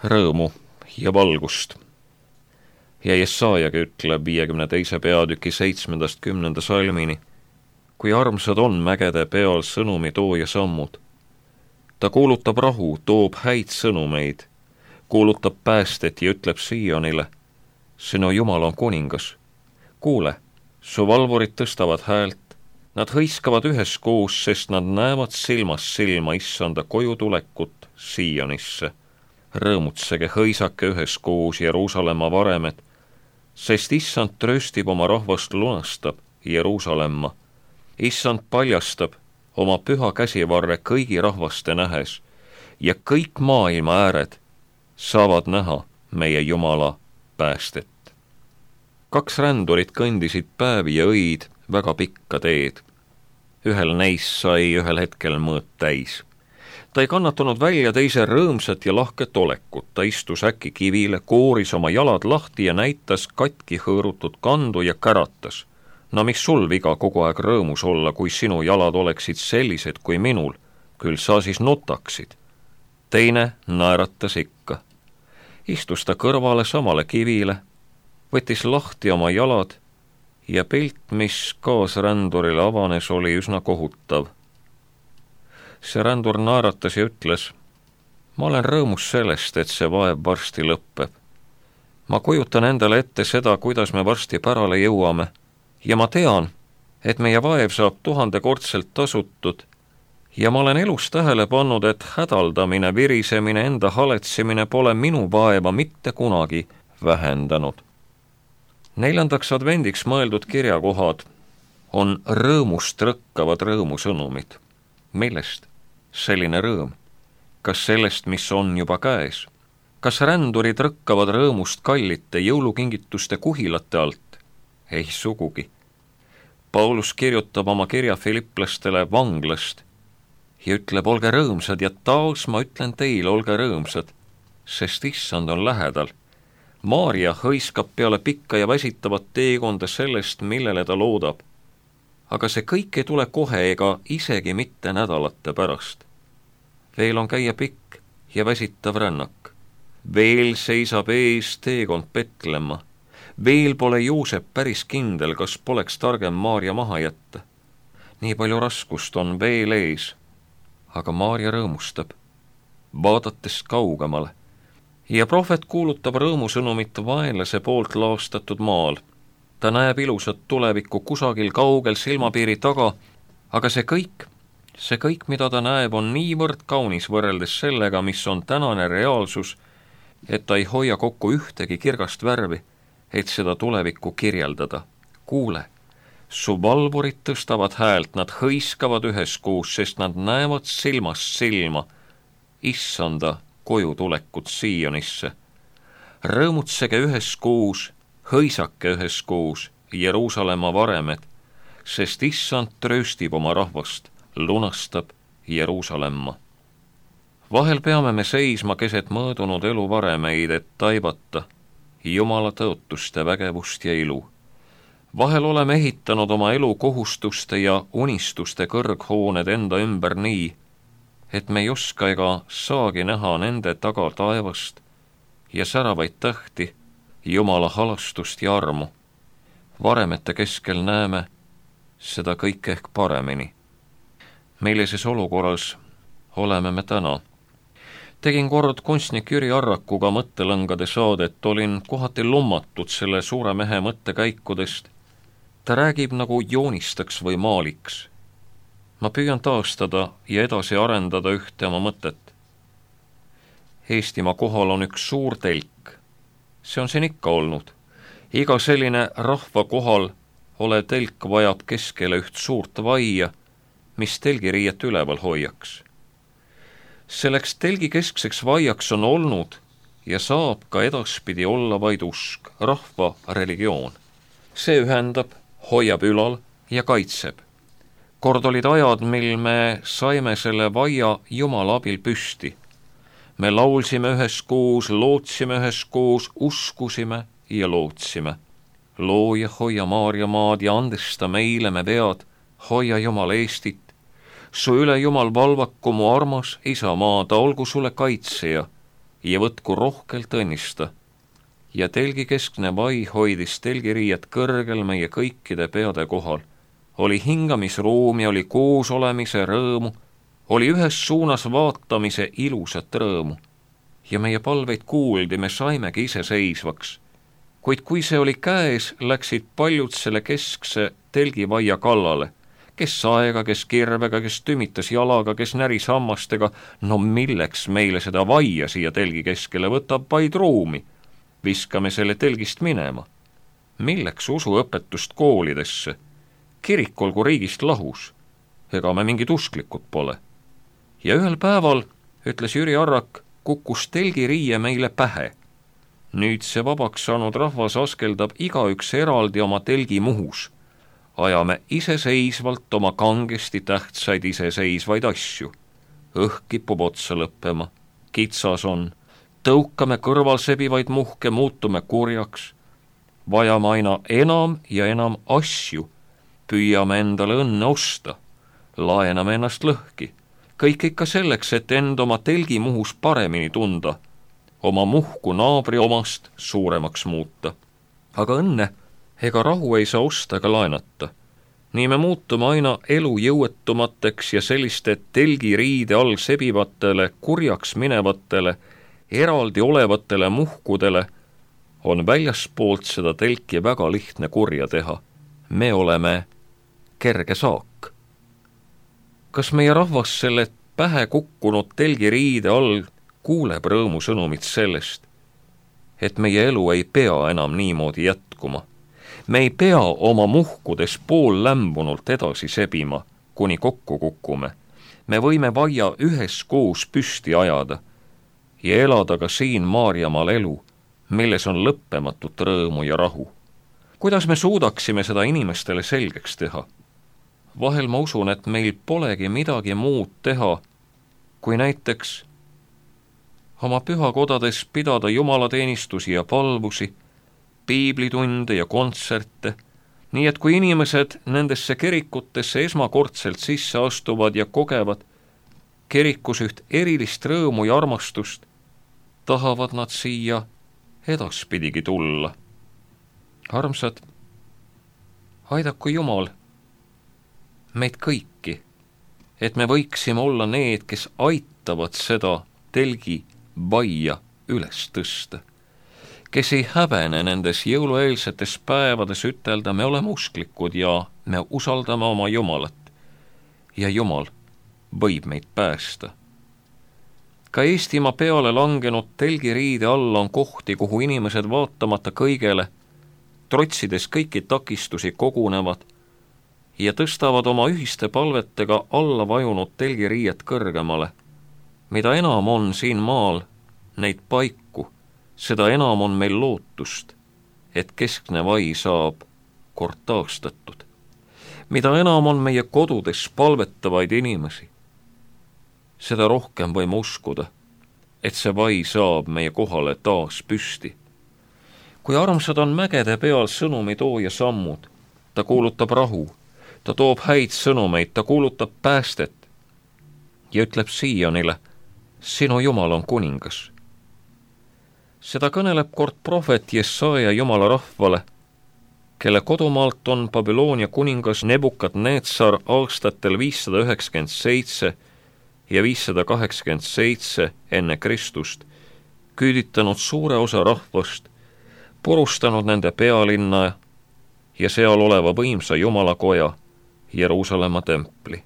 rõõmu ja valgust. Ja Jesajagi ütleb 52. peatüki 7.–10. salmini, kui armsad on mägede peal sõnumi tooja sammud. Ta kuulutab rahu, toob häid sõnumeid, kuulutab päästet ja ütleb Siionile, sinu Jumal on kuningas. Kuule, su valvurid tõstavad häält, nad hõiskavad üheskoos, sest nad näevad silmast silma issanda koju tulekut Sionisse. Rõõmutsege, hõisake üheskoos Jeruusalemma varemed, sest issand trööstib oma rahvast, lunastab Jeruusalemma. Issand paljastab oma püha käsivarre kõigi rahvaste nähes ja kõik maailma ääred saavad näha meie Jumala päästet. 2 rändurit kõndisid päevi ja õid väga pikka teed. Ühel neist sai ühel hetkel mõõt täis. Ta ei kannatanud välja teise rõõmsat ja lahket olekut. Ta istus äkki kivile, kooris oma jalad lahti ja näitas katki hõõrutud kandu ja käratas. No mis sul viga kogu aeg rõõmus olla, kui sinu jalad oleksid sellised kui minul, küll sa siis nutaksid. Teine naeratas ikka. Istus ta kõrvale samale kivile, võttis lahti oma jalad ja pilt, mis kaasrändurile avanes, oli üsna kohutav. See rändur naeratas ja ütles, ma olen rõõmus sellest, et see vaev varsti lõppeb. Ma kujutan endale ette seda, kuidas me varsti pärale jõuame ja ma tean, et meie vaev saab 1000-kordselt tasutud ja ma olen elus tähele pannud, et hädaldamine, virisemine, enda haletsemine pole minu vaeva mitte kunagi vähendanud. 4. advendiks mõeldud kirjakohad on rõõmust rõkkavad rõõmusõnumid. Millest selline rõõm? Kas sellest, mis on juba käes? Kas rändurid rõkkavad rõõmust kallite jõulukingituste kuhilate alt? Ei sugugi. Paulus kirjutab oma kirja filiplastele vanglast ja ütleb, olge rõõmsad ja taas ma ütlen teile, olge rõõmsad, sest issand on lähedal. Maarja hõiskab peale pikka ja väsitavat teekonda sellest, millele ta loodab. Aga see kõik ei tule kohe ega isegi mitte nädalate pärast. Veel on käia pikk ja väsitav rännak. Veel seisab ees teekond Petlemma. Veel pole Joosep päris kindel, kas poleks targem Maarja maha jätta. Nii palju raskust on veel ees. Aga Maarja rõõmustab, vaadates kaugemale. Ja prohvet kuulutab rõõmusõnumit vaenlase poolt laastatud maal. Ta näeb ilusat tulevikku kusagil kaugel silmapiiri taga, aga see kõik, mida ta näeb, on niivõrd kaunis võrreldes sellega, mis on tänane reaalsus, et ta ei hoia kokku ühtegi kirgast värvi, et seda tulevikku kirjeldada. Kuule, su valvurid tõstavad häält, nad hõiskavad üheskoos, sest nad näevad silmast silma issanda koju tulekut Sionisse. Rõõmutsege üheskoos, hõisake üheskoos Jeruusalemma varemed, sest issand trööstib oma rahvast, lunastab Jeruusalemma. Vahel peame me seisma keset mõõdunud elu varemeid, et taibata Jumala tõotuste vägevust ja ilu. Vahel oleme ehitanud oma elu kohustuste ja unistuste kõrghooned enda ümber nii, et me ei oska ega saagi näha nende taga taevast ja säravaid tähti, Jumala halastust ja armu. Varemete keskel näeme seda kõike ehk paremini. Millises olukorras oleme me täna? Tegin kord kunstnik Jüri Arrakuga mõttelõngade saadet, olin kohati lummatud selle suure mehe mõttekäikudest. Ta räägib nagu joonistaks või maaliks. Ma püüan taastada ja edasi arendada ühte oma mõtet. Eestimaa kohal on üks suur telk. See on siin ikka olnud. Iga selline rahva kohal olev telk vajab keskele üht suurt vaia, mis telgiriiet üleval hoiaks. Selleks telgi keskseks vaiaks on olnud ja saab ka edaspidi olla vaid usk, rahva religioon. See ühendab, hoiab ülal ja kaitseb. Kord olid ajad, mil me saime selle vaia Jumala abil püsti. Me laulsime üheskoos, lootsime üheskoos, uskusime ja lootsime. Looja, hoia Maarja maad ja andesta meile me vead, hoia Jumal Eestit. Su üle Jumal valvaku, mu armas isamaa, ta olgu sulle kaitseja ja võtku rohkelt õnnista. Ja telgi keskne vai hoidis telgiriiet kõrgel meie kõikide peade kohal. Oli hingamisruumi, oli koos olemise rõõmu, oli ühes suunas vaatamise ilusat rõõmu. Ja meie palveid kuuldi, me saimegi iseseisvaks. Kuid kui see oli käes, läksid paljud selle keskse telgivaia kallale. Kes saega, kes kirvega, kes tümitas jalaga, kes näris hammastega. No milleks meile seda vaia siia telgi keskele, võtab vaid ruumi. Viskame selle telgist minema. Milleks usuõpetust koolidesse? Kirik olgu riigist lahus. Ega me mingid usklikud pole. Ja ühel päeval, ütles Jüri Arrak, kukkus telgiriie meile pähe. Nüüd see vabaks saanud rahvas askeldab igaüks eraldi oma telgi muhus. Ajame iseseisvalt oma kangesti tähtsaid iseseisvaid asju. Õhk kipub otsa lõppema. Kitsas on. Tõukame kõrval sebivaid muhke, muutume kurjaks. Vajame aina enam ja enam asju. Püüame endale õnne osta. Laename ennast lõhki. Kõik ikka selleks, et end oma telgi muhus paremini tunda. Oma muhku naabri omast suuremaks muuta. Aga õnne ega rahu ei saa osta ega laenata. Nii me muutume aina elu jõuetumateks ja selliste telgiriide all sebivatele, kurjaks minevatele, eraldi olevatele muhkudele on väljaspoolt seda telki väga lihtne kurja teha. Me oleme kerge saak. Kas meie rahvas selle pähe kukkunud telgiriide all kuuleb rõõmusõnumit sellest, et meie elu ei pea enam niimoodi jätkuma? Me ei pea oma muhkudes pool lämbunult edasi sebima, kuni kokku kukume. Me võime vaia üheskoos püsti ajada ja elada ka siin Maarjamaal elu, milles on lõppematut rõõmu ja rahu. Kuidas me suudaksime seda inimestele selgeks teha? Vahel ma usun, et meil polegi midagi muud teha, kui näiteks oma pühakodades pidada jumalateenistusi ja palvusi, piiblitunde ja kontserte, nii et kui inimesed nendesse kirikutesse esmakordselt sisse astuvad ja kogevad kirikus üht erilist rõõmu ja armastust, tahavad nad siia edaspidigi tulla. Armsad, aidaku Jumal meid kõiki, et me võiksime olla need, kes aitavad seda telgi vaia üles tõsta, kes ei häbene nendes jõulueelsetes päevades ütelda, me oleme usklikud ja me usaldame oma Jumalat ja Jumal võib meid päästa. Ka Eestimaa peale langenud telgiriide alla on kohti, kuhu inimesed vaatamata kõigele, trotsides kõiki takistusi kogunevad ja tõstavad oma ühiste palvetega alla vajunud telgiriiet kõrgemale. Mida enam on siin maal neid paiku, seda enam on meil lootust, et keskne vai saab kord taastatud. Mida enam on meie kodudes palvetavaid inimesi, seda rohkem võime uskuda, et see vai saab meie kohale taas püsti. Kui armsad on mägede peal sõnumi tooja sammud, ta kuulutab rahu, ta toob häid sõnumeid, ta kuulutab päästet ja ütleb Siionile, sinu Jumal on kuningas. Seda kõneleb kord prohvet Jesaja Jumala rahvale, kelle kodumaalt on Babyloonia kuningas Nebukadnetsar aastatel 597 ja 587 enne Kristust küüditanud suure osa rahvast, purustanud nende pealinna ja seal oleva võimsa Jumalakoja, Jeruusalemma templi.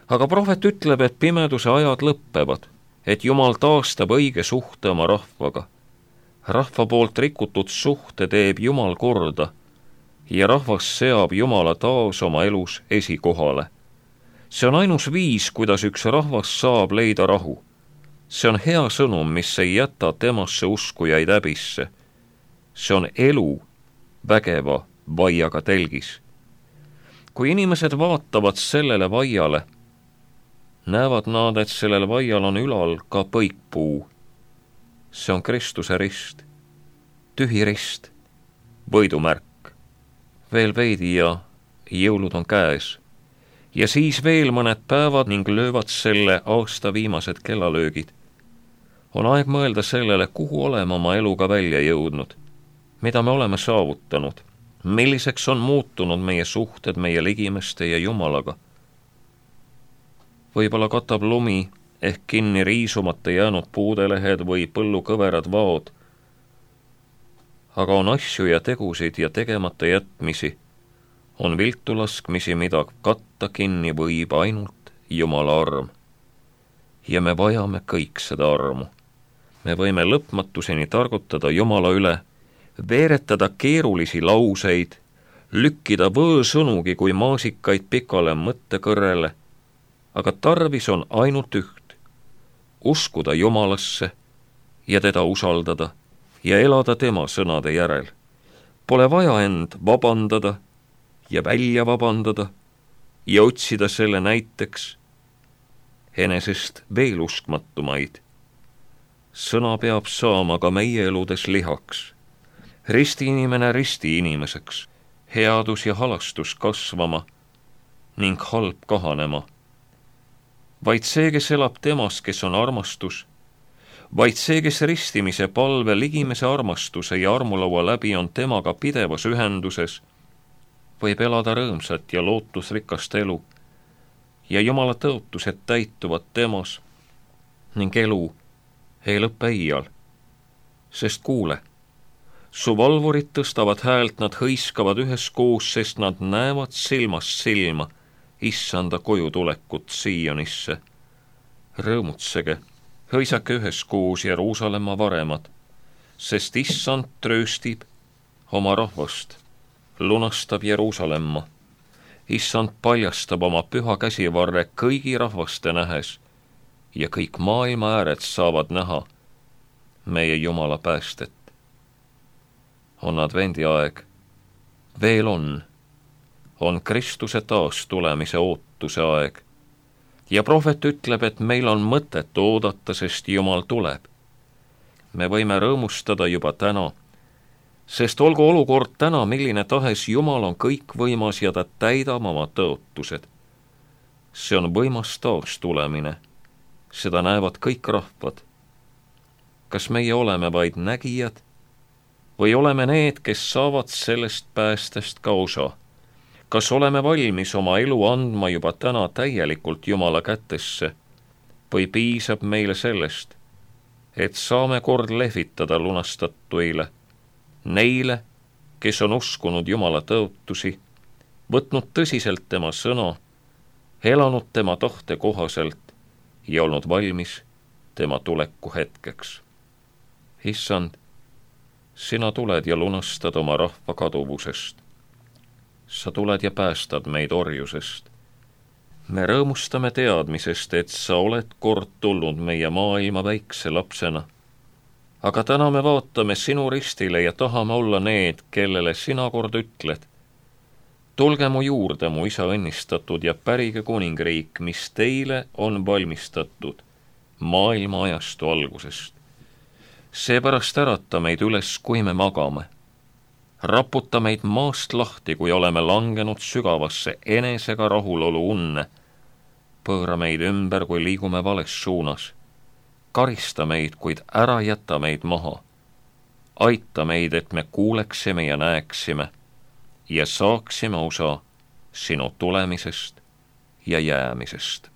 Aga prohvet ütleb, et pimeduse ajad lõppevad, et Jumal taastab õige suhte oma rahvaga. Rahva poolt rikutud suhte teeb Jumal korda ja rahvas seab Jumala taas oma elus esikohale. See on ainus viis, kuidas üks rahvas saab leida rahu. See on hea sõnum, mis ei jäta temasse uskujaid häbisse. See on elu vägeva vaiaga telgis. Kui inimesed vaatavad sellele vaiale, näevad nad, et sellel vaial on ülal ka põikpuu. See on Kristuse rist, tühi rist, võidumärk. Veel veidi ja jõulud on käes. Ja siis veel mõned päevad ning löövad selle aasta viimased kellalöögid. On aeg mõelda sellele, kuhu oleme oma eluga välja jõudnud, mida me oleme saavutanud, milliseks on muutunud meie suhted meie ligimeste ja Jumalaga. Võib-olla katab lumi ehk kinni riisumata jäänud puudelehed või põllukõverad vaod, aga on asju ja tegusid ja tegemata jätmisi, on viltu laskmisi, mida katta kinni võib ainult Jumala arm. Ja me vajame kõik seda armu. Me võime lõpmatuseni targutada Jumala üle, veeretada keerulisi lauseid, lükkida võõsõnugi kui maasikaid pikale mõttekõrrele, aga tarvis on ainult üht, uskuda Jumalasse ja teda usaldada ja elada tema sõnade järel. Pole vaja end vabandada ja välja vabandada ja otsida selle näiteks enesest veel uskmatumaid. Sõna peab saama ka meie eludes lihaks, ristiinimene ristiinimeseks, headus ja halastus kasvama ning halb kahanema. Vaid see, kes elab temas, kes on armastus, vaid see, kes ristimise palve, ligimese armastuse ja armulaua läbi on temaga pidevas ühenduses, võib elada rõõmsat ja lootusrikast elu ja Jumala tõotused täituvad temas ning elu ei lõppe iial. Sest kuule, su valvurid tõstavad häält, nad hõiskavad üheskoos, sest nad näevad silmast silma issanda koju tulekut Siionisse. Rõõmutsege, hõisake üheskoos Jeruusalemma varemad, sest issand trööstib oma rahvast, lunastab Jeruusalemma. Issand paljastab oma püha käsivarre kõigi rahvaste nähes ja kõik maailma ääred saavad näha meie Jumala päästet. On advendi aeg, veel on Kristuse taastulemise ootuse aeg ja prohvet ütleb, et meil on mõtet oodata, sest Jumal tuleb. Me võime rõõmustada juba täna, sest olgu olukord täna milline tahes, Jumal on kõikvõimas ja ta täidab oma tõotused. See on võimas taastulemine, seda näevad kõik rahvad. Kas meie oleme vaid nägijad või oleme need, kes saavad sellest päästest ka osa? Kas oleme valmis oma elu andma juba täna täielikult Jumala kätesse või piisab meile sellest, et saame kord lehvitada lunastatuile, neile, kes on uskunud Jumala tõotusi, võtnud tõsiselt tema sõna, elanud tema tahte kohaselt ja olnud valmis tema tuleku hetkeks. Issand, sina tuled ja lunastad oma rahva kaduvusest. Sa tuled ja päästad meid orjusest. Me rõõmustame teadmisest, et sa oled kord tulnud meie maailma väikse lapsena. Aga täna me vaatame sinu ristile ja tahame olla need, kellele sina kord ütled. Tulge mu juurde, mu isa õnnistatud, ja pärige kuningriik, mis teile on valmistatud maailma ajastu algusest. Seepärast ärata meid üles, kui me magame. Raputa meid maast lahti, kui oleme langenud sügavasse enesega rahulolu unne. Pööra meid ümber, kui liigume vales suunas. Karista meid, kuid ära jäta meid maha. Aita meid, et me kuuleksime ja näeksime ja saaksime osa sinu tulemisest ja jäämisest.